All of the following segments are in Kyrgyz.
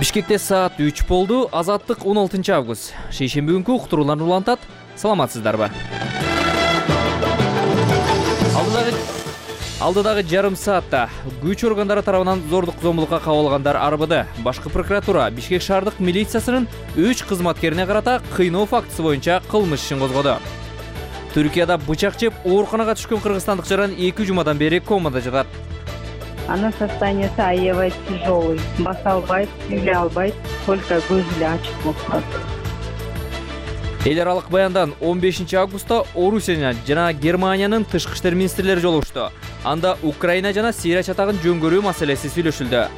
Бишкекте саат 3 болду. Азаттык 16 август. Шейшемби күнкү уктурууларды улантат. Саламатсыздарбы? Алдыдагы жарым саатта күч органдары тарабынан зордук зомбулукка кабылгандар арбыды. Башкы прокуратура Бишкек шаардык милициясынын 3 кызматкерине карата кыйноо фактысы боюнча кылмыш ишин козгоду. Түркияда бычак жеп ооруканага түшкөн кыргызстандык жаран 2 жумадан бери комада жатат. Она состояниясы аябай тяжелый. Баса албайт, сүйлөй албайт, только көзү эле ачык болуп. Эл аралык баяндан 15 августта Орусия жана Германиянын тышкы иштер министрлери жолугушту. Анда Украина жана Сирия чатагын жөнгөрүү маселеси сүйлөшүлдү.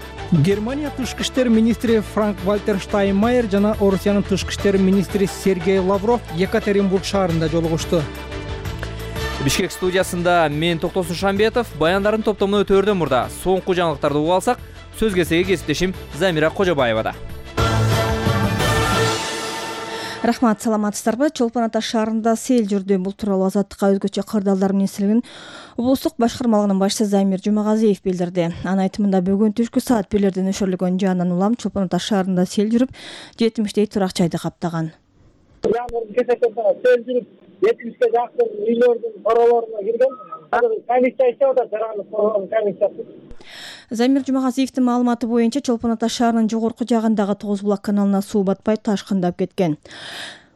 Германия тышкы иштер министри Франк-Вальтер Штайнмайер жана Орусиянын тышкы иштер министри Сергей Лавров Екатеринбург шаарында жолугушту. Бишкек студиясында мен Токтосун Шамбетов, баяндарын топтомуна өтөөрдөн мурда соңку жаңылыктарды угуп алсак, сөз кезеги кесиптешим Замира Кожобаевада. Рахмат, саламатсыздарбы? Чолпон Ата шаарында сел жүрдү. Бул тууралуу Азаттыкка өзгөчө кырдаалдар министрлигинин облустук башкармалыгынын башчысы Замир Жумагазиев билдирди. Анын айтымында бүгүн түшкү саат 1-лерде нөшөрлөгөн жаандан улам Чолпон Ата шаарында сел жүрүп, 70 турак жайды каптаган. Сел жүрүп, 70-ке жакын үйлөрдүн королоруна кирген. Комиссия иштеп атат, жарандык комиссиясы. Замир Жумагазиевдин маалыматы боюнча Чолпон Ата шаарынын жогорку жагындагы Тогуз булак каналына суу батпай ташкындап кеткен.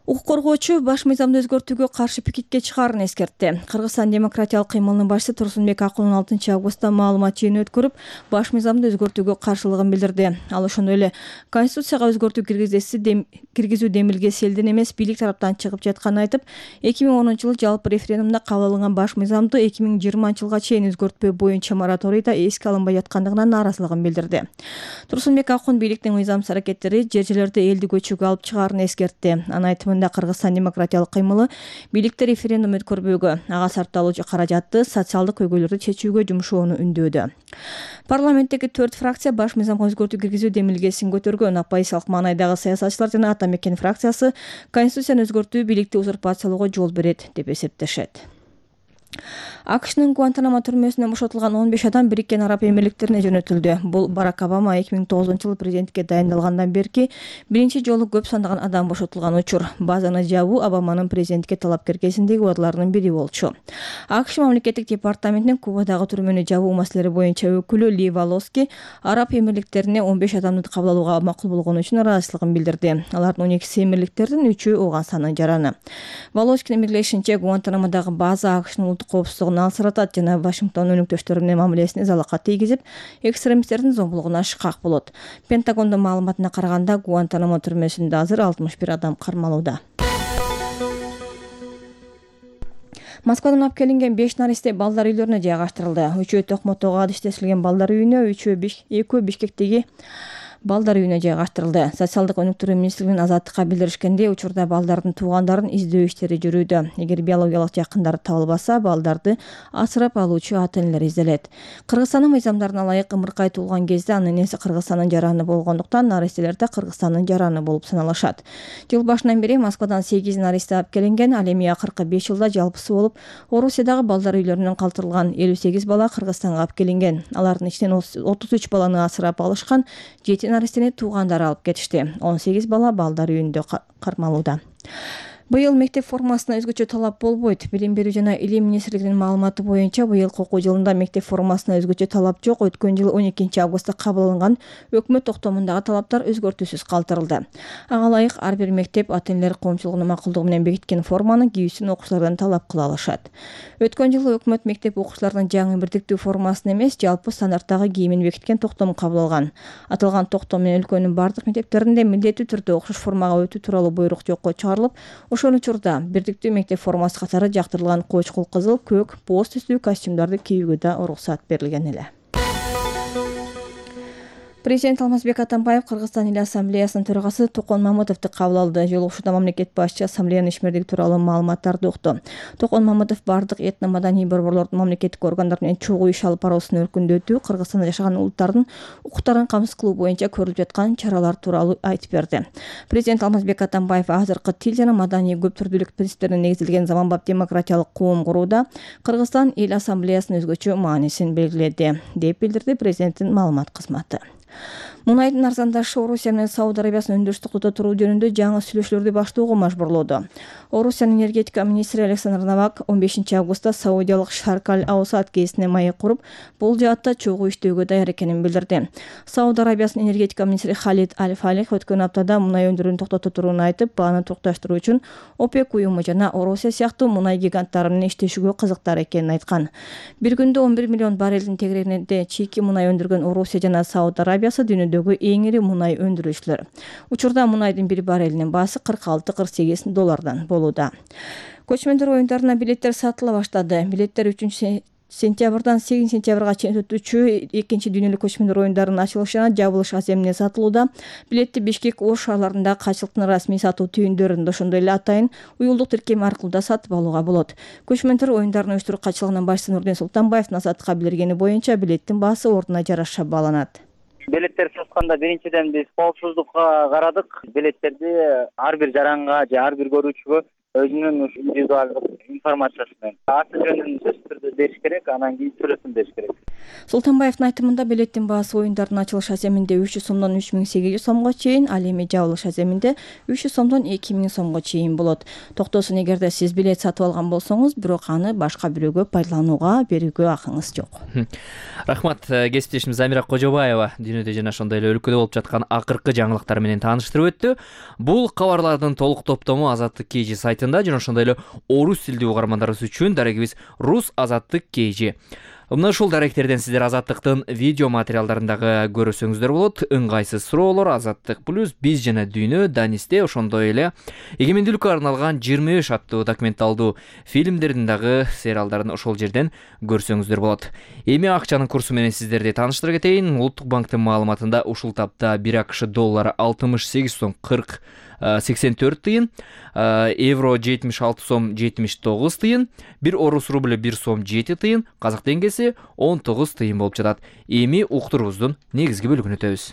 Укук коргоочу баш мыйзамды өзгөртүүгө каршы пикетке чыгаарын эскертти. Кыргызстан демократиялык кыймылынын башчысы Турсунбек Акунун 6 августта маалымат жыйыны өткөрүп, баш мыйзамды өзгөртүүгө каршылыгын билдирди. Ал ошондой эле Конституцияга өзгөртүү киргизүү демилгеси элдин эмес бийлик тараптан чыгып жатканын айтып, 2010-жылы жалпы референдумда кабыл алынган баш мыйзамды 2020-жылга чейин өзгөртпөө боюнча мораторийда эске алынбай жаткандыгына нааразылыгын билдирди. Турсунбек Акун бийликтин мыйзамсыз аракеттери жер-жерлерде элди көчүүгө алып чыгаарын эскертти. Анын айтымында Кыргызстан демократиялык кыймылы бийликте референдум өткөрбөөгө, ага сарпталуу каражатты социалдык көйгөйлөрдү чечүүгө жумшоону үндөөдү. Парламенттеги 4 фракция баш мыйзамга өзгөртүү киргизүү демилгесин көтөргөн. Оппозициялык маанайдагы саясатчылар жана Ата Мекен фракциясы Конституцияны өзгөртүү бийликти узурпациялоого жол берет деп эсептешет. АКШнын Гуантанамо түрмөсүнөн бошотулган 15 адам Бириккен Араб Эмирликтерине жөнөтүлдү. Бул Барак Обама 2009-жылы президентке дайындалгандан берки биринчи жолу көп сандаган адам бошотулган учур. Базаны жабуу Обаманын президентке талапкер кезиндеги убадаларынын бири болчу. АКШ мамлекеттик департаментинин Кубадагы түрмөнү жабуу маселелери боюнча өкүлү Ли Волоски Араб Эмирликтерине 15 адамды кабыл алууга макул болгону үчүн ыраазычылыгын билдирди. Алардын 12 эмирликтердин 3-ü Ооганстандын жараны. Волоскинин белгилешинче, Гуантанамодагы база АКШнын улуттук коопсуздугун алсыратат жана Вашингтон өнөктөштөрү менен мамилесине залакат тийгизип, экстремисттердин зомбулугуна шыкак болот. Пентагондун маалыматына караганда, Гуантанамо түрмөсүндө азыр 61 адам кармалууда. Москвадан алып келинген 5 наристе балдар үйлөрүнө жайгаштырылды. 3-ü Токмотого адыштешилген балдар үйүнө, 2-ü Бишкектеги балдар үйүнө жайгаштырылды. Социалдык өнүктүрүү министрлигинин Азаттыкка билдиришкенде, учурда балдардын туугандарын издөө иштери жүрүүдө. Эгер биологиялык жакындары табылбаса, балдарды асырап алуучу ата-энелер изделет. Кыргызстандын мыйзамдарына ылайык ымыркай туулган кезде анын энеси Кыргызстандын жараны болгондуктан наристелер да Кыргызстандын жараны болуп саналышат. Жыл башынан бери Москвадан 8 наристе алып келинген, ал эми акыркы 5 жылда жалпысы болуп Орусиядагы балдар үйлөрүнөн калтырылган 58 бала Кыргызстанга алып келинген. Алардын ичинен 33 баланы асырап алышкан, 7 наристени туугандары алып кетишти. 18 бала балдар үйүндө кармалууда. Быйыл мектеп формасына өзгөчө талап болбойт. Билим берүү жана илим министрлигинин маалыматы боюнча, быйылкы окуу жылында мектеп формасына өзгөчө талап жок. Өткөн жылы 12 августта кабыл алынган өкмөт токтомундагы талаптар өзгөртүүсүз калтырылды. Ага ылайык ар бир мектеп ата-энелер коомчулугунун макулдугу менен бекиткен форманы кийүүсүн окуучулардан талап кыла алышат. Өткөн жылы өкмөт мектеп окуучуларынын жаңы бирдиктүү формасын эмес, жалпы стандарттагы кийимин бекиткен токтом кабыл алган. Аталган токтом менен өлкөнүн бардык мектептеринде милдеттүү түрдө окшош формага өтүү тууралуу буйрук жокко чыгарылып, ошол учурда бирдиктүү мектеп формасы катары жактырылган кочкул кызыл, көк, боз түстүү костюмдарды кийүүгө да уруксат берилген эле. Президент Алмазбек Атамбаев Кыргызстан эл ассамблеясынын төрагасы Токон Мамытовду кабыл алды. Жолугушууда мамлекет башчысы ассамблеянын ишмердиги тууралуу маалыматтарды укту. Токон Мамытов бардык этно-маданий борборлордун мамлекеттик органдар менен чогуу иш алып баруусун өркүндөтүү, Кыргызстанда жашаган улуттардын укуктарын камсыз кылуу боюнча көрүлүп жаткан чаралар тууралуу айтып берди. Президент Алмазбек Атамбаев азыркы тил жана маданий көп түрдүүлүк принциптерине негизделген заманбап демократиялык коом курууда Кыргызстан эл ассамблеясынын өзгөчө маанисин белгиледи, деп билдирди президенттин маалымат кызматы. Мунайдын арзандашы Орусия менен Сауд Арабиясынын өндүрүштү токтото туруу жөнүндө жаңы сүйлөшүүлөрдү баштоого мажбурлоодо. Орусиянын энергетика министри Александр Новак 15 августта саудиялык Шарк аль-Аусад гезитине маек куруп, бул жаатта чогуу иштөөгө даяр экенин билдирди. Сауд Арабиясынын энергетика министри Халид Аль-Фалих өткөн аптада мунай өндүрүүнү токтото турууну айтып, бааны токтоштуруу үчүн ОПЕК уюму жана Орусия сыяктуу мунай гиганттары менен иштешүүгө кызыктар экенин айткан. Бир күндө 11 миллион баррелдин тегерегинде чийки мунай өндүргөн Орусия жана Сауд Арабиясы дүйнөдөгү эң ири мунай өндүрүүчүлөр. Учурда мунайдын бир баррелинин баасы $46-48 болууда. Көчмөндөр оюндарына билеттер сатыла баштады. Билеттер 3 сентябрдан 8 сентябрга чейин өтүүчү 2 дүйнөлүк көчмөндөр оюндарынын ачылыш жана жабылыш аземине сатылууда. Билетти Бишкек, Ош шаарларында качылыктын расмий сатуу түйүндөрүндө, ошондой эле атайын уюлдук тиркем аркылуу да сатып алууга болот. Көчмөндөр оюндарын уюштуруу катчылыгынын башчысы Нурден Султанбаевдин азаттыкка билдиргени боюнча билеттин баасы ордуна жараша бааланат. Билеттер сатканда биринчиден биз коопсуздукка карадык. Билеттерди ар бир жаранга же ар бир көрүүчүгө өзүнүн индивидуалдык информациясын аты жөнүн сөзсүз түрдө бериш керек, анан кийин сүрөтүн бериш керек. Султанбаевдин айтымында билеттин баасы оюндардын ачылыш аземинде 300 сомдон 3800 сомго чейин, ал эми жабылыш аземинде 300 сомдон 2000 сомго чейин болот. Токтосун, эгерде сиз билет сатып алган болсоңуз, бирок аны башка бирөөгө пайдаланууга берүүгө акыңыз жок. Рахмат, кесиптешим Замира Кожобаева дүйнөдө жана ошондой эле өлкөдө болуп жаткан акыркы жаңылыктар менен тааныштырып өттү. Бул кабарлардын толук топтому Азаттык KG сайтында жана ошондой эле орус тилдүү угармандарыбыз үчүн дарегибиз Рус Азаттык KG. Мына ушул даректерден сиздер Азаттыктын видео материалдарындагы көрөсөңүздөр болот. Ыңгайсыз суроолор, Азаттык плюс, биз жана дүйнө, Данисте, ошондой эле эгемендүүлүккө арналган 25 аттуу документалдуу фильмдердин дагы сериалдарын ошол жерден көрсөңүздөр болот. Эми акчанын курсу менен сиздерди тааныштыра кетейин. Улуттук банктын маалыматында ушул тапта 1 АКШ доллары 68 сом 84 тыйын, евро 76 сом 79 тыйын, 1 орус рубль 1 сом 7 тыйын, казак теңгеси 19 тыйын болуп жатат. Эми уктурубуздун негизги бөлүгүнө өтөбүз.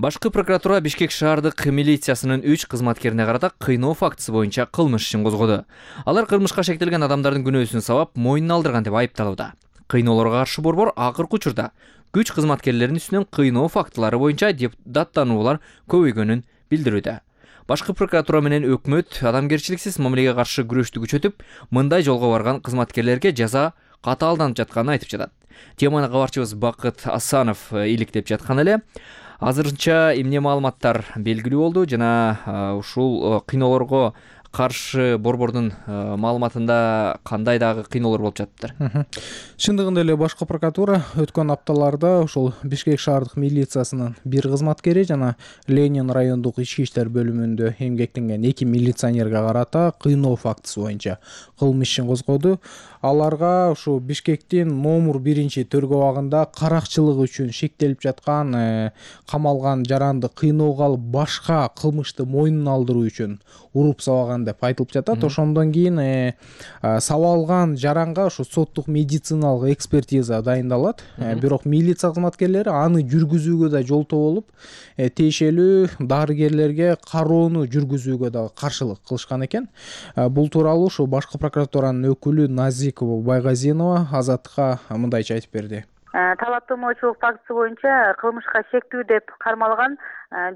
Башкы прокуратура Бишкек шаардык милициясынын 3 кызматкерине карата кыйноо фактысы боюнча кылмыш ишин козгоду. Алар кылмышка шектелген адамдардын күнөөсүн сабап мойнуна алдырган деп айыпталууда. Кыйноолорго каршы борбор акыркы учурда күч кызматкерлеринин үстүнөн кыйноо фактылары боюнча даттануулар көбөйгөнүн билдирүүдө. Башкы прокуратура менен өкмөт адамгерчиликсиз мамилеге каршы күрөштү күчөтүп, мындай жолго барган кызматкерлерге жаза катаалданып жатканын айтып жатат. Теманы кабарчыбыз Бакыт Асанов иликтеп жаткан эле. Азырынча эмне маалыматтар белгилүү болду жана ушул кыйноолорго каршы борбордун маалыматында кандай дагы кыйноолор болуп жатыптыр? Чындыгында эле башкы прокуратура өткөн апталарда ошол Бишкек шаардык милициясынын 1 кызматкери жана Ленин райондук ички иштер бөлүмүндө эмгектенген 2 милиционерге карата кыйноо фактысы боюнча кылмыш ишин козгоду. Аларга ушу Бишкектин номер 1-төргө абагында каракчылык үчүн шектелип жаткан камалган жаранды кыйноого алып башка кылмышты мойнуна алдыруу үчүн уруп сабаган деп айтылып жатат. Ошондон кийин сабалган жаранга ушу соттук медициналык экспертиза дайындалат. Бирок милиция кызматкерлери аны жүргүзүүгө да жолтоо болуп, тиешелүү дарыгерлерге кароону жүргүзүүгө да каршылык кылышкан экен. Бул тууралуу ушу башкы прокуратуранын өкүлү Назикова Байгазинова Азаттыкка мындайча айтып берди. Талаптоочулук фактысы боюнча кылмышка шектүү деп кармалган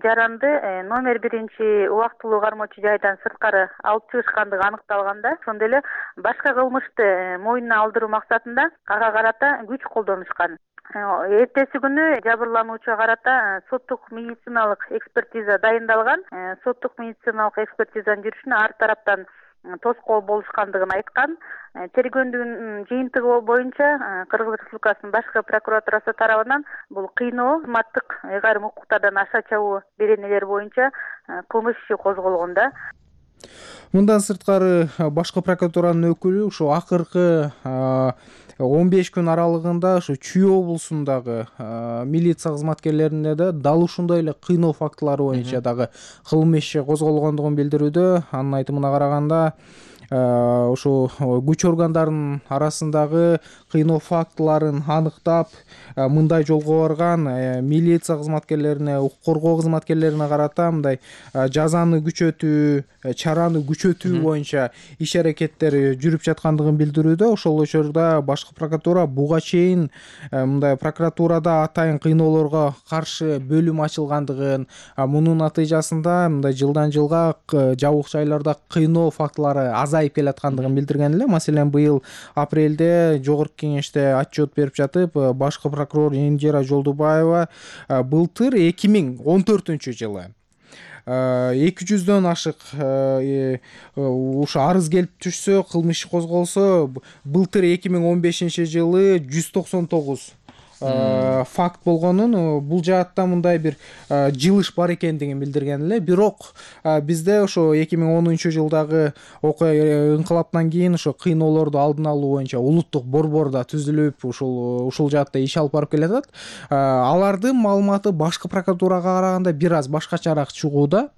жаранды номер 1 убактылуу кармоочу жайдан сырткары алып чыгышкандыгы аныкталганда, ошондой эле башка кылмышты мойнуна алдыруу максатында ага карата күч колдонушкан. Эртеси күнү жабырлануучуга карата соттук медициналык экспертиза дайындалган. Соттук медициналык экспертизанын жүрүшүнө ар тараптан тоскоол болушкандыгын айткан. Тергөөнүн жыйынтыгы боюнча Кыргыз Республикасынын башкы прокуратурасы тарабынан бул кыйноо, кызматтык ыйгарым укуктардан аша чабуу беренелери боюнча кылмыш иши козголгон да. Мындан сырткары башкы прокуратуранын өкүлү ушу акыркы 15 күн аралыгында ушу Чүй облусундагы милиция кызматкерлерине да дал ушундай эле кыйноо фактылары боюнча дагы кылмыш иши козголгондугун билдирүүдө. Анын айтымына караганда ошо күч органдарынын арасындагы кыйноо фактыларын аныктап мындай жолго барган милиция кызматкерлерине, укук коргоо кызматкерлерине карата мындай жазаны күчөтүү, чараны күчөтүү боюнча иш аракеттер жүрүп жаткандыгын билдирүүдө. Ошол учурда башкы прокуратура буга чейин мындай прокуратурада атайын кыйноолорго каршы бөлүм ачылгандыгын, мунун натыйжасында мындай жылдан жылга жабык жайларда кыйноо фактылары азайып келаткандыгын билдирген эле. Маселен, быйыл апрелде жогорку кеңеште отчет берип жатып, башкы прокурор Индира Жолдубаева былтыр 2014-жылы 200дөн ашык ушу арыз келип түшсө, кылмыш козголсо, былтыр 2015-жылы 199 факт болгонун, бул жаатта мындай бир жылыш бар экендигин билдирген эле. Бирок бизде ошо 2010-жылдагы окуя инкылаптан кийин ошо кыйноолорду алдын алуу боюнча улуттук борбор да түзүлүп, ушул жаатта иш алып барып келатат. Алардын маалыматы башкы прокуратурага караганда бир аз башкачараак чыгууда.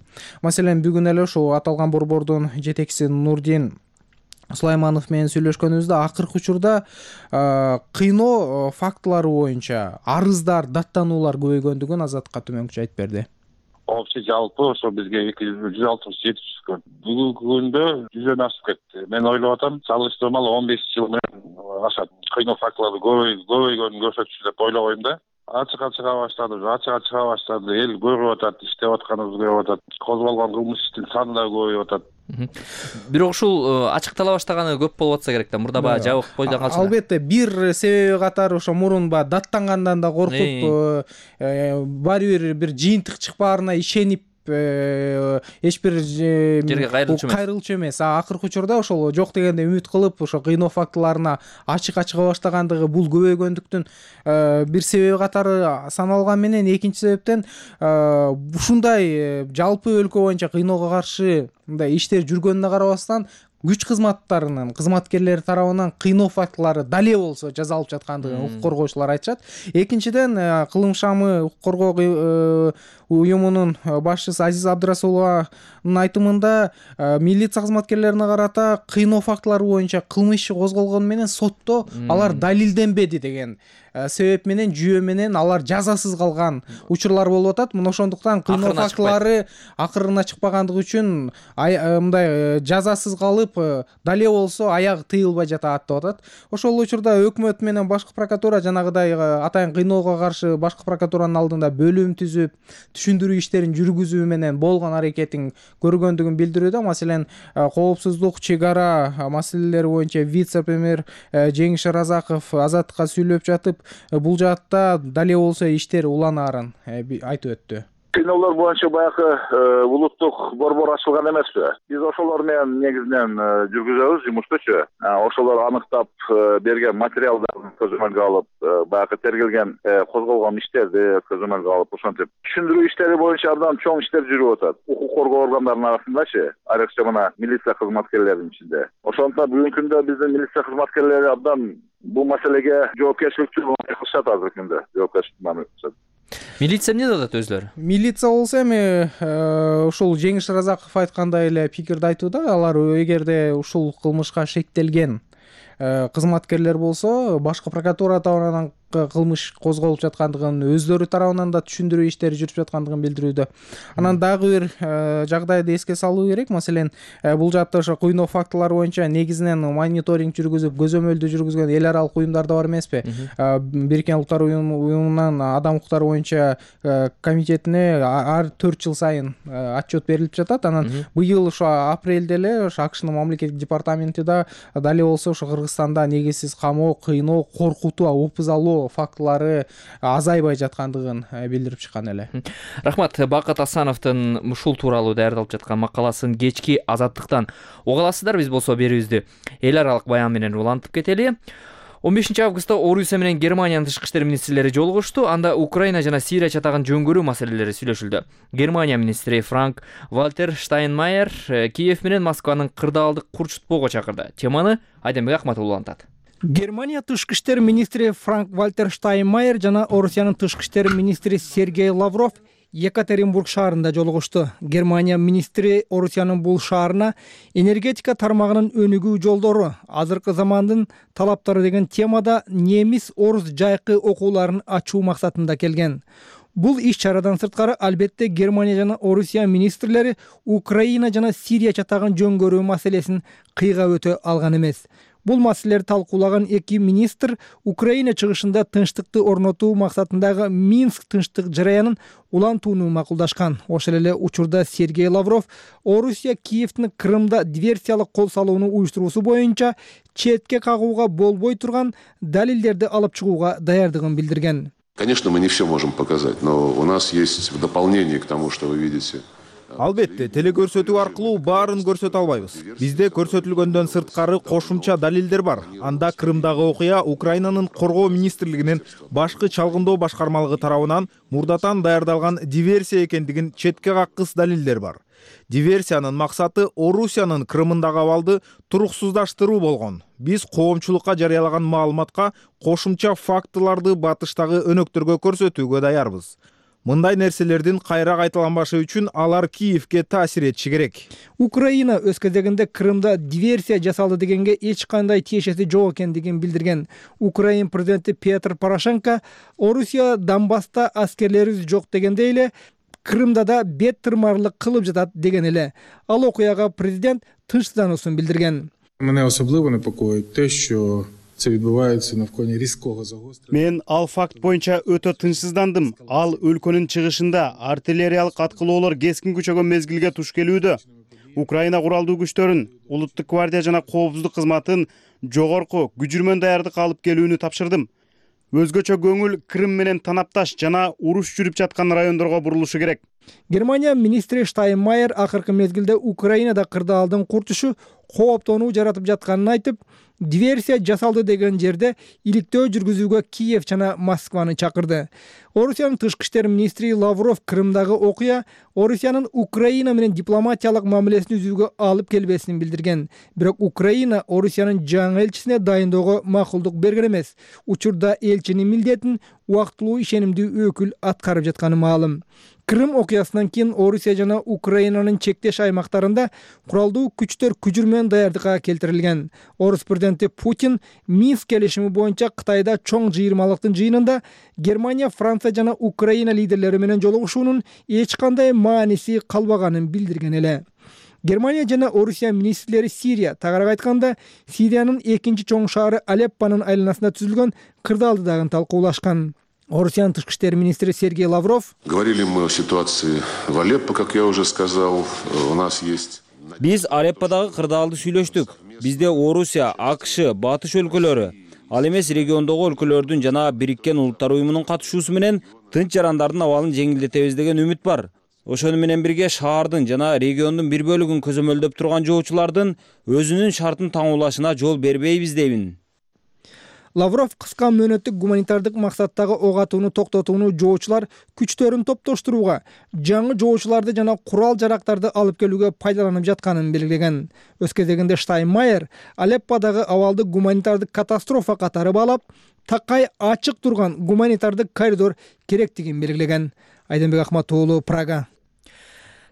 Маселен, бүгүн эле ошо аталган борбордун жетекчиси Нурдин Сулайманов менен сүйлөшкөнүбүздө акыркы учурда кыйноо фактылары боюнча арыздар, даттануулар көбөйгөндүгүн Азаттыкка төмөнкүчө айтып берди. Вообще жалпы ошо бизге 167 түшкөн. Бүгүнкү күндө 100дөн ашып кетти. Мен ойлоп атам, салыштырмалуу 15 жыл менен ашат. Кыйноо фактылары көбөйгөнүн көрсөтчү деп ойлобойм да. Ачык чыга баштады. Эл көрүп атат, иштеп атканыбызды көрүп атат. Козголгон кылмыш иштин саны да көбөйүп атат. Бирок ушул ачыктала баштаганы көп болуп атса керек да. Мурда баягы жабык бойдон калчу. Албетте, бир себеби катары ошо мурун баягы даттангандан да коркуп, баары бир жыйынтык чыкпаарына ишенип эч бир жерге кайрылчу эмес. Акыркы учурда ошол жок дегенде үмүт кылып, ошо кыйноо фактыларына ачык чыга баштагандыгы бул көбөйгөндүктүн бир себеби катары саналган менен, экинчи себептен ушундай жалпы өлкө боюнча кыйноого каршы мындай иштер жүргөнүнө карабастан күч кызматтарынын кызматкерлери тарабынан кыйноо фактылары дале болсо жазалып жаткандыгын укук коргоочулар айтышат. Экинчиден, Кылым шамы укук коргоо уюмунун башчысы Азиз Абдрасулованын айтымында милиция кызматкерлерине карата кыйноо фактылары боюнча кылмыш иши козголгону менен сотто алар далилденбеди деген себеп менен, жүйө менен алар жазасыз калган учурлар болуп атат. Мына ошондуктан кыйноо фактылары акырына чыкпагандыгы үчүн мындай жазасыз калып, дале болсо аягы тыйылбай жатат деп атат. Ошол учурда өкмөт менен башкы прокуратура жанагыдай атайын кыйноого каршы башкы прокуратуранын алдында бөлүм түзүп, түшүндүрүү иштерин жүргүзүү менен болгон аракетин көргөндүгүн билдирүүдө. Маселен, коопсуздук, чек ара маселелери боюнча вице-премьер Жеңиш Разаков Азаттыкка сүйлөп жатып, бул жаатта дале болсо иштер уланаарын айтып өттү. Кыйноолор боюнча баягы улуттук борбор ачылган эмеспи? Биз ошолор менен негизинен жүргүзөбүз жумуштучу. Ошолор аныктап берген материалдарды көзөмөлгө алып, баягы тергелген козголгон иштерди көзөмөлгө алып, ошентип түшүндүрүү иштери боюнча абдан чоң иштер жүрүп атат. Укук коргоо органдарынын арасындачы, айрыкча мына милиция кызматкерлеринин ичинде. Ошондуктан бүгүнкү күндө биздин милиция кызматкерлери абдан бул маселеге жоопкерчиликтүү кылышат азыркы күндө. Жоопкерчилик. Милиция эмне деп атат өзлөрү? Милиция болсо эми ушул Жеңиш Разаков айткандай эле пикирди айтууда. Алар эгерде ушул кылмышка шектелген кызматкерлер болсо, башкы прокуратура тарабынан кылмыш козголуп жаткандыгын, өздөрү тарабынан да түшүндүрүү иштери жүрүп жаткандыгын билдирүүдө. Анан дагы бир жагдайды эске салуу керек. Маселен, бул жаатта ошо кыйноо фактылары боюнча негизинен мониторинг жүргүзүп, көзөмөлдү жүргүзгөн эл аралык уюмдар да бар эмеспи? Бириккен Улуттар уюмунан адам укуктары боюнча комитетине ар 4 жыл сайын отчет берилип жатат. Анан быйыл ошо апрелде эле ошо АКШнын мамлекеттик департаменти да дале болсо ошо Кыргызстанда негизсиз камоо, кыйноо, коркутуу, опуз алуу фактылары азайбай жаткандыгын билдирип чыккан эле. Рахмат. Бакыт Асановдун ушул тууралуу даярдалып жаткан макаласын кечки Азаттыктан уга аласыздар. Биз болсо берүүбүздү эл аралык баян менен улантып кетели. 15 августта Орусия менен Германиянын тышкы иштер министрлери жолугушту. Анда Украина жана Сирия чатагын жөнгөрүү маселелери сүйлөшүлдү. Германия министри Франк Вальтер Штайнмайер Киев менен Москванын кырдаалдык курчутпоого чакырды. Теманы Айдембек Акматов улантат. Германия тышкы иштер министри Франк Вальтер Штайнмайер жана Орусиянын тышкы иштер министри Сергей Лавров Екатеринбург шаарында жолугушту. Германия министри Орусиянын бул шаарына энергетика тармагынын өнүгүү жолдору, азыркы замандын талаптары деген темада немис-орус жайкы окууларын ачуу максатында келген. Бул иш-чарадан сырткары албетте Германия жана Орусия министрлери Украина жана Сирия чатагын жөн-көрүү маселесин кыйга өтө алган эмес. Бул маселелерди талкуулаган эки министр Украина чыгышында тынчтыкты орнотуу максатындагы Минск тынчтык жараянын улантууну макулдашкан. Ошол эле учурда Сергей Лавров Орусия Киевдин Крымда диверсиялык кол салууну уюштуруусу боюнча четке кагууга болбой турган далилдерди алып чыгууга даярдыгын билдирген. Конечно, мы не все можем показать, но у нас есть в дополнение к тому, что вы видите. Албетте, телекөрсөтүү аркылуу баарын көрсөтө албайбыз. Бизде көрсөтүлгөндөн сырткары кошумча далилдер бар. Анда Крымдагы окуя Украинанын коргоо министрлигинин башкы чалгындоо башкармалыгы тарабынан мурдатан даярдалган диверсия экендигин четке каккыс далилдер бар. Диверсиянын максаты Орусиянын Крымындагы абалды туруксуздаштыруу болгон. Биз коомчулукка жарыялаган маалыматка кошумча фактыларды батыштагы өнөктөргө көрсөтүүгө даярбыз. Мындай нерселердин кайра кайталанбашы үчүн алар Киевге таасир этиши керек. Украина өз кезегинде Крымда диверсия жасалды дегенге эч кандай тиешеси жок экендигин билдирген. Украин президенти Петр Порошенко Орусия Донбасста аскерлерибиз жок дегендей эле Крымда да бет тырмарлык кылып жатат деген эле. Ал окуяга президент тынчсыздануусун билдирген. Мене особливо непокоїть те, що це відбувається на фоні різкого загострення. Мен ал факт боюнча өтө тынчсыздандым. Ал өлкөнүн чыгышында артиллериялык аткылоолор кескин күчөгөн мезгилге туш келүүдө. Украина куралдуу күчтөрүн, улуттук гвардия жана коопсуздук кызматын жогорку күжүрмөн даярдык алып келүүнү тапшырдым. Өзгөчө көңүл Крым менен танапташ жана уруш жүрүп жаткан райондорго бурулушу керек. Германия министри Штайнмайер акыркы мезгилде Украинада кырдаалдын куртушу кооптонуу жаратып жатканын айтып, диверсия жасалды деген жерде иликтөө жүргүзүүгө Киев жана Москваны чакырды. Орусиянын тышкы иштер министри Лавров Крымдагы окуя Орусиянын Украина менен дипломатиялык мамилесин үзүүгө алып келбесин билдирген. Бирок Украина Орусиянын жаңы элчисине дайындоого макулдук берген эмес. Учурда элчинин милдетин убактылуу ишенимдүү өкүл аткарып жатканы маалым. Крым окуясынан кийин Орусия жана Украинанын чектеш аймактарында куралдуу күчтөр күжүрмөн даярдыкка келтирилген. Орус президенти Путин Минск келишими боюнча Кытайда чоң жыйырмалыктын жыйынында Германия, Франция жана Украина лидерлери менен жолугушуунун эч кандай мааниси калбаганын билдирген эле. Германия жана Орусия министрлери Сирия, тагыраак айтканда, Сириянын экинчи чоң шаары Алеппонун айланасында түзүлгөн кырдаалды дагы талкуулашкан. Орусиянын тышкы иштер министри Сергей Лавров: Говорили мы о ситуации в Алеппо, как я уже сказал, у нас есть. Биз Алепподагы кырдаалды сүйлөштүк. Бизде Орусия, АКШ, Батыш өлкөлөрү, ал эмес региондогу өлкөлөрдүн жана Бириккен Улуттар уюмунун катышуусу менен тынч жарандардын абалын жеңилдетебиз деген үмүт бар. Ошону менен бирге шаардын жана региондун бир бөлүгүн көзөмөлдөп турган жоочулардын өзүнүн шартын таңуулашына жол бербейбиз дейбин. Лавров кыска мөөнөттүк гуманитардык максаттагы ок атууну токтотууну жоочулар күчтөрүн топтоштурууга, жаңы жоочуларды жана курал-жарактарды алып келүүгө пайдаланып жатканын белгилеген. Өз кезегинде Штайнмайер Алепподагы абалды гуманитардык катастрофа катары баалап, такай ачык турган гуманитардык коридор керектигин белгилеген. Айденбек Акматуулу, Прага.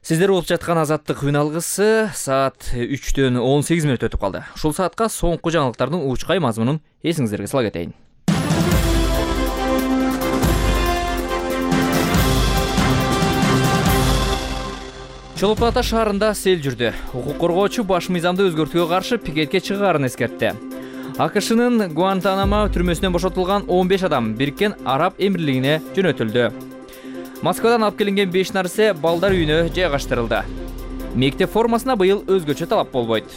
Сиздер болуп жаткан Азаттык күн алгысы саат 3-төн 18 мүнөт өтүп калды. Ушул саатка соңку жаңылыктардын уучкай мазмунун эсиңиздерге сала кетейин. Чолпон Ата шаарында сел жүрдү. Укук коргоочу баш мыйзамды өзгөртүүгө каршы пикетке чыгаарын эскертти. АКШнын Гуантанамо түрмөсүнөн бошотулган 15 адам Бириккен Араб Эмирлигине жөнөтүлдү. Москвадан алып келинген 5 нарсе балдар үйүнө жайгаштырылды. Мектеп формасына быйыл өзгөчө талап болбойт.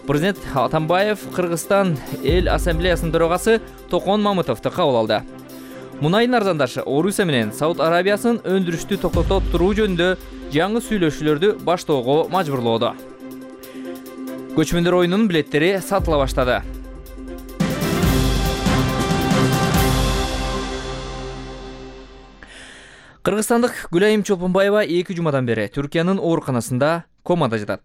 Президент Атамбаев Кыргызстан эл ассамблеясынын төрагасы Токон Мамытовду кабыл алды. Мунайдын арзандашы Орусия менен Сауд Арабиясын өндүрүштү токтото туруу жөнүндө жаңы сүйлөшүүлөрдү баштоого мажбурлоодо. Көчмөндөр оюнунун билеттери сатыла баштады. Кыргызстандык Гүлайым Чолпонбаева 2 жумадан бери Түркиянын ооруканасында комада жатат.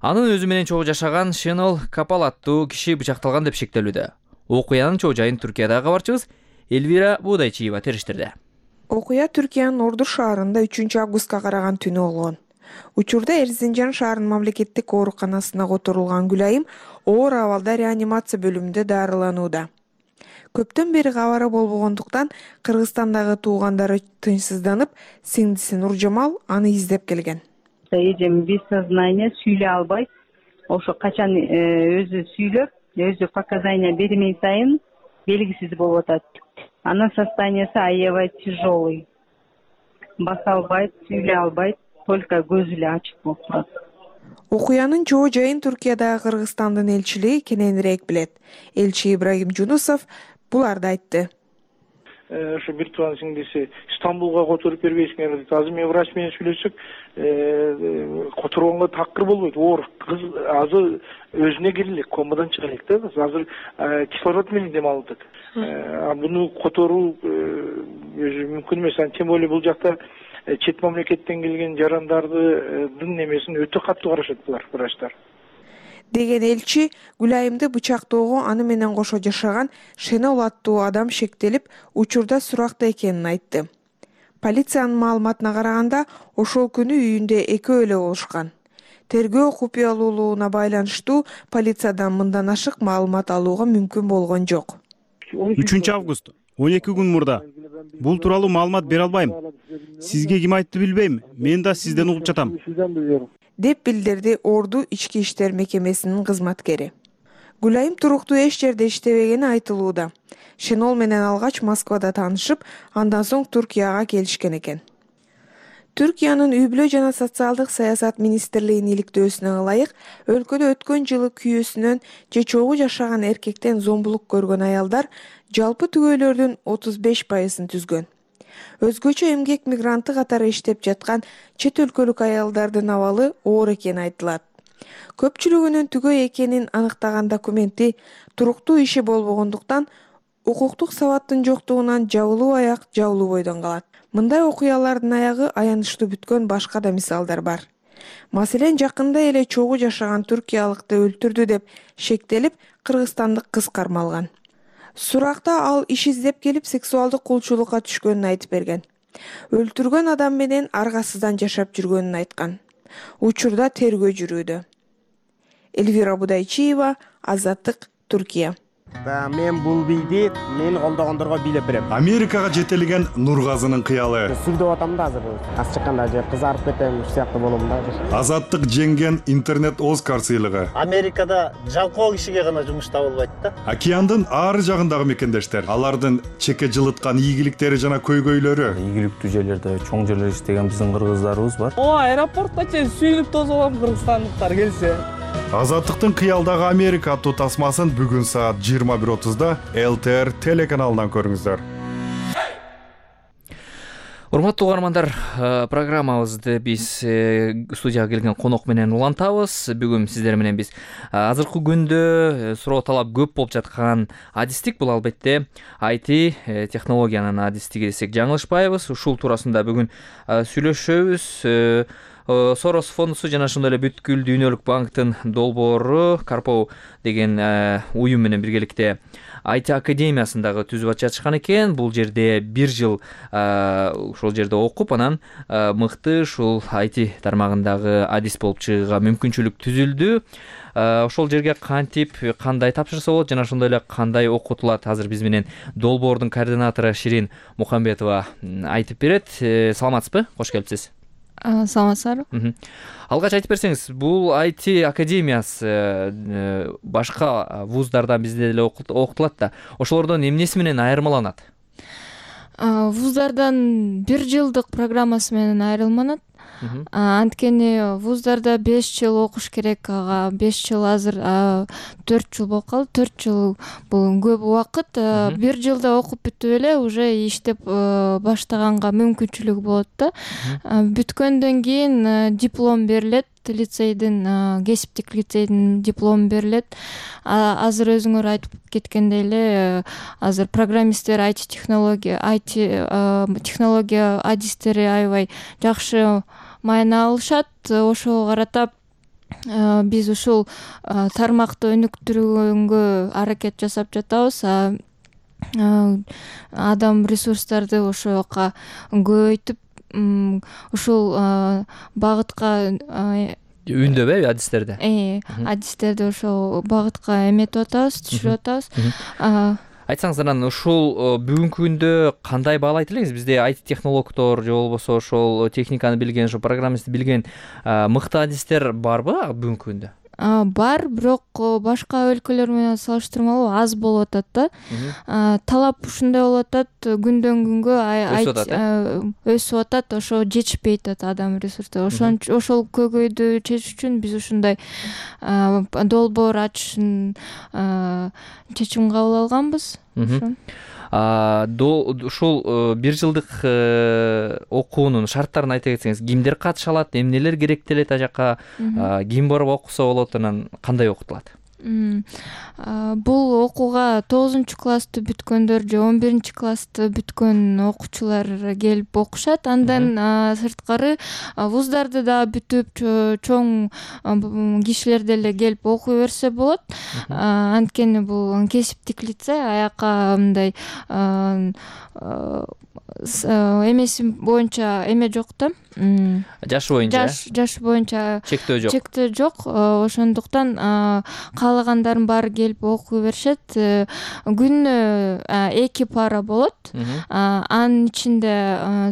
Анын өзү менен чогуу жашаган Шенол Капал аттуу киши бычакталган деп шектелүүдө. Окуянын чоо жайын Түркиядагы кабарчыбыз Эльвира Будайчиева териштирди. Окуя Түркиянын Орду шаарында 3-августка караган түнү болгон. Учурда Эрзинжан шаарынын мамлекеттик ооруканасына которулган Гүлайым оор абалда реанимация бөлүмүндө дарыланууда. Көптөн бери кабары болбогондуктан Кыргызстандагы туугандары тынчсызданып, сиңдиси Нуржамал аны издеп келген. Эжем без сознания, сүйлөй албайт. Ошо качан өзү сүйлөп, өзү показания бермей сайын белгисиз болуп атат. Анын состояниясы аябай тяжелый. Баса албайт, сүйлөй албайт, только көзү эле ачык болуп турат. Окуянын чоо жайын Түркиядагы Кыргызстандын элчилиги кененирээк билет. Элчи Ибрагим Жунусов буларды айтты. Ошо бир тууган сиңдиси Стамбулга которуп бербейсиңер дейт. Азыр мен врач менен сүйлөшсөк, которгонго такыр болбойт. Оор кыз азыр өзүнө кире элек, комадан чыга элек да. Азыр кислород менен дем алып атат. Буну которуу өзү мүмкүн эмес. Тем более бул жакта чет мамлекеттен келген жарандардын немесин өтө катуу карашат булар, врачтар. Деген элчи Гүлайымды бычактоого аны менен кошо жашаган Шенол аттуу адам шектелип, учурда суракта экенин айтты. Полициянын маалыматына караганда, ошол күнү үйүндө экөө эле болушкан. Тергөө купуялуулугуна байланыштуу полициядан мындан ашык маалымат алууга мүмкүн болгон жок. 3-август 12 күн мурда. Бул тууралуу маалымат бере албайм. Сизге ким айтты билбейм. Мен да сизден угуп жатам. Деп билдирди Орду ички иштер мекемесинин кызматкери. Гүлайым туруктуу эч жерде иштебегени айтылууда. Шенол менен алгач Москвада таанышып, андан соң Түркияга келишкен экен. Түркиянын үй-бүлө жана социалдык саясат министрлигинин иликтөөсүнө ылайык, өлкөдө өткөн жылы күйөөсүнөн же чогуу жашаган эркектен зомбулук көргөн аялдар жалпы түгөйлөрдүн 35%-ын түзгөн. Өзгөчө эмгек мигранты катары иштеп жаткан чет өлкөлүк аялдардын абалы оор экени айтылат. Көпчүлүгүнүн түгөй экенин аныктаган документи туруктуу иши болбогондуктан укуктук сабаттын жоктугунан жабылуу аяк жабылуу бойдон калат. Мындай окуялардын аягы аянычтуу бүткөн башка да мисалдар бар. Маселен, жакында эле чогуу жашаган түркиялыкты өлтүрдү деп шектелип, кыргызстандык кыз кармалган. Суракта ал иш издеп келип сексуалдык кулчулукка түшкөнүн айтып берген. Өлтүргөн адам менен аргасыздан жашап жүргөнүн айткан. Учурда тергөө жүрүүдө. Эльвира Будайчиева, Азаттык, Түркия. Мен бул бийди мени колдогондорго бийлеп берем. Америкага жетелеген Нургазынын кыялы. Сүлдөп атам да азыр. Аз чыкканда же кызарып кетем, ушу сыяктуу болом да. Азаттык жеңген интернет Оскар сыйлыгы. Америкада жалкоо кишиге гана жумуш табылбайт да. Океандын ар жагындагы мекендештер, алардын чеке жылыткан ийгиликтери жана көйгөйлөрү. Ийгиликтүү жерлерде, чоң жерлерде иштеген биздин кыргыздарыбыз бар. Аэропортто чейин сүйлүп тосолом кыргызстандыктар келсе. Азаттыктын кыялдагы Америка аттуу тасмасын бүгүн саат 21:30 ЛТР телеканалынан көрүңүздөр. Урматтуу угармандар, программабызды биз студияга келген конок менен улантабыз. Бүгүн сиздер менен биз азыркы күндө суроо талап көп болуп жаткан адистик, бул албетте IT технологиянын адистиги десек жаңылышпайбыз. Ушул туурасында бүгүн сүйлөшөбүз. Сорос фондусу жана ошондой эле бүткүл дүйнөлүк банктын долбоору Карпоо деген уюм менен биргеликте IT академиясындагы түзүп жатышкан экен. Бул жерде бир жыл ошол жерде окуп, анан мыкты ушул IT тармагындагы адис болуп чыгууга мүмкүнчүлүк түзүлдү. Ошол жерге кантип, кандай тапшырса болот жана ошондой эле кандай окутулат, азыр биз менен долбоордун координатору Ширин Мухамбетова айтып берет. Саламатсызбы? Кош келипсиз. Саламатсыздарбы? Алгач айтып берсеңиз, бул IT академиясы башка вуздардан бизде деле окутулат да. Ошолордон эмнеси менен айырмаланат? Вуздардан 1 жылдык программасы менен айырмаланат. Анткени вуздарда 5 жыл окуш керек, ага 5 жыл азыр 4 жыл болуп калды. 4 жыл бул көп убакыт. 1 жылда окуп бүтүп эле уже иштеп баштаганга мүмкүнчүлүк болот да. Бүткөндөн кийин диплом берилет, лицейдин, кесиптик лицейдин диплому берилет. Азыр өзүңөр айтып кеткендей эле, азыр программисттер, IT технология адистери аябай жакшы майна алышат. Ошого карата биз ушул тармакты өнүктүргөнгө аракет жасап жатабыз. адам ресурстарды ошока көбөйтүп ушул багытка үндөбү адистерди адистерди ошол багытка эметип атабыз, түшүрүп атабыз. Айтсаңыз, анан ушул бүгүнкү күндө кандай баалайт элеңиз? Бизде IT технологдор же болбосо ошол техниканы билген, ошо программистти билген мыкты адистер барбы бүгүнкү күндө? Бар, бирок башка өлкөлөр менен салыштырмалуу аз болуп атат да. Талап ушундай болуп атат, күндөн күнгө өсүп атат, ошо жетишпей атат адам ресурстары. Ошол көйгөйдү чечиш үчүн биз ушундай долбоор ачышын чечим кабыл алганбыз. Ушул 1 жылдык окуунун шарттарын айта кетсеңиз, кимдер катыша алат, эмнелер керектелет, аа жака ким барып окуса болот, анан кандай окутулат? Бул окууга 9-классты бүткөндөр же 11-классты бүткөн окуучулар келип окушат. Андан сырткары вуздарды да бүтүп чоң кишилер деле келип окуй берсе болот. Анткени бул кесиптик лице, аяка мындай эмеси боюнча эме жок да. Жашы боюнча. Жаш боюнча чектөө жок. Чектөө жок. Ошондуктан каалагандардын баары келип окуй беришет. Күнүнө 2 пара болот. Анын ичинде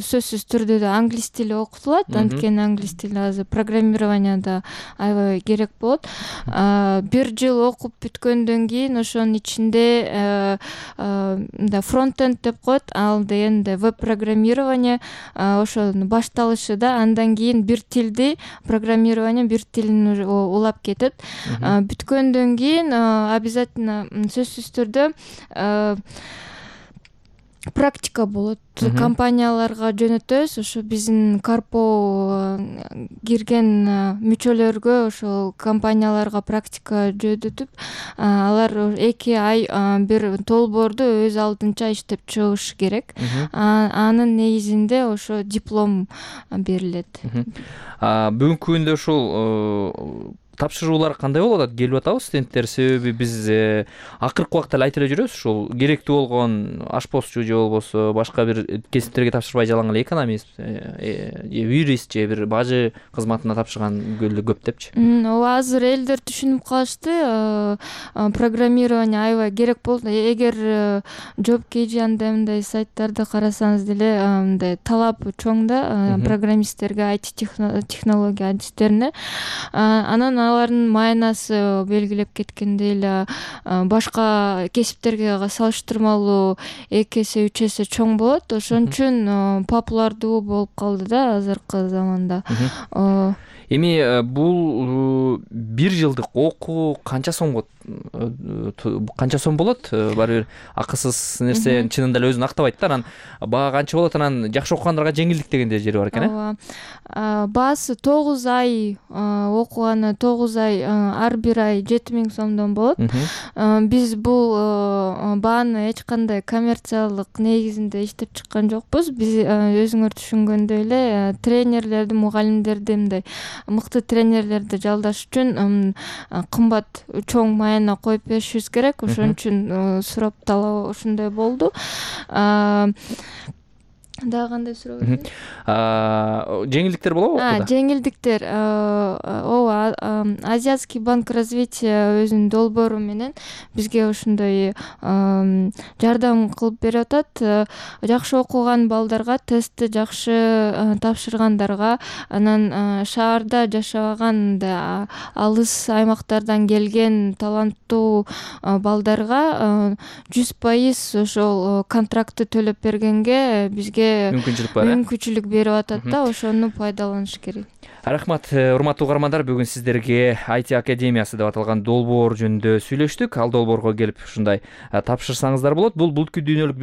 сөзсүз түрдө да англис тили окутулат. Анткени англис тили азыр программированияда аябай керек болот. 1 жыл окуп бүткөндөн кийин ошонун ичинде фронтенд деп коет, ал дегенде веб программирование ошонун башталышы да. Андан кийин бир тилди программирование, бир тилин улап кетет. Бүткөндөн кийин обязательно сөзсүз түрдө практика болот. Компанияларга жөнөтөбүз. Ошо биздин Карпо кирген мүчөлөргө ошол компанияларга практика жөнөтүп, алар 2 ай бир долбоорду өз алдынча иштеп чыгыш керек. Анын негизинде ошо диплом берилет. Бүгүнкү күндө ушул тапшыруулар кандай болуп атат? Келип атабы студенттер? Себеби биз акыркы убакта эле айтып эле жүрөбүз, ушул керектүү болгон ашпозчу же болбосо башка бир кесиптерге тапшырбай жалаң эле экономист, юрист же бир бажы кызматына тапшырган көп депчи. Ооба, азыр элдер түшүнүп калышты. Программирование аябай керек болот. Эгер JobKG андай мындай сайттарды карасаңыз деле мындай талап чоң да программисттерге, IT технология адистерине. Анан алардын майнасы белгилеп кеткендей эле башка кесиптерге салыштырмалуу 2 эсе 3 эсе чоң болот. Ошон үчүн популярдуу болуп калды да азыркы заманда. Эми бул 1 жылдык окуу канча сом болот? Баары бир акысыз нерсе чынында эле өзүн актабайт да. Анан баа канча болот? Анан жакшы окугандарга жеңилдик дегенде жери бар экен, Ооба. Баасы 9 ай окуганы 9 ай ар бир ай 7000 сомдон болот. Биз бул бааны эч кандай коммерциялык негизинде иштеп чыккан жокпуз. Биз өзүңөр түшүнгөндөй эле тренерлерди, мугалимдерди, мындай мыкты тренерлерди жалдаш үчүн кымбат чоң майна коюп беришибиз керек. Ошон үчүн сурап талап ушундай болду. Дагы кандай суроо? Жеңилдиктер болобу? Жеңилдиктер. Ооба, Азиатский банк развития өзүнүн долбоору менен бизге ушундай жардам кылып берип атат. Жакшы окуган балдарга, тестти жакшы тапшыргандарга, анан шаарда жашабаган, алыс аймактардан келген таланттуу балдарга 100% ошол контрактты төлөп бергенге бизге мүмкүнчүлүк берип атат да, ошону пайдаланыш керек. Рахмат, урматтуу угармандар, бүгүн сиздерге IT Академиясы деп аталган долбоор жөнүндө сүйлөштүк. Ал долбоорго келип ушундай тапшырсаңыздар болот. Бул бүткүл дүйнөлүк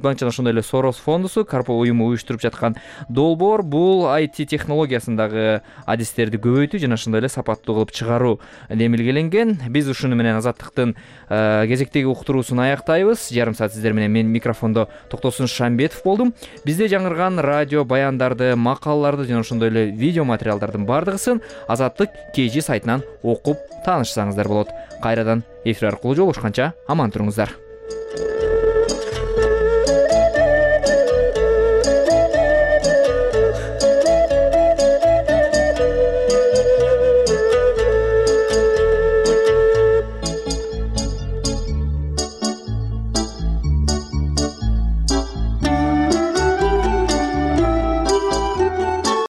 банк жана ошондой эле Сорос фондусу, Карпо уюму уюштуруп жаткан долбоор. Бул IT технологиясындагы адистерди көбөйтүү жана ошондой эле сапаттуу кылып чыгаруу демилгеленген. Биз ушуну менен Азаттыктын кезектеги уктуруусун аяктайбыз. Жарым саат сиздер менен мен микрофондо Токтосун Шамбетов болдум. Бизде жаңырган радио баяндарды, макалаларды жана ошондой эле видео материалдардын бардыгысын Азаттык KG сайтынан окуп таанышсаңыздар болот. Кайрадан эфир аркылуу жолугушканча аман туруңуздар.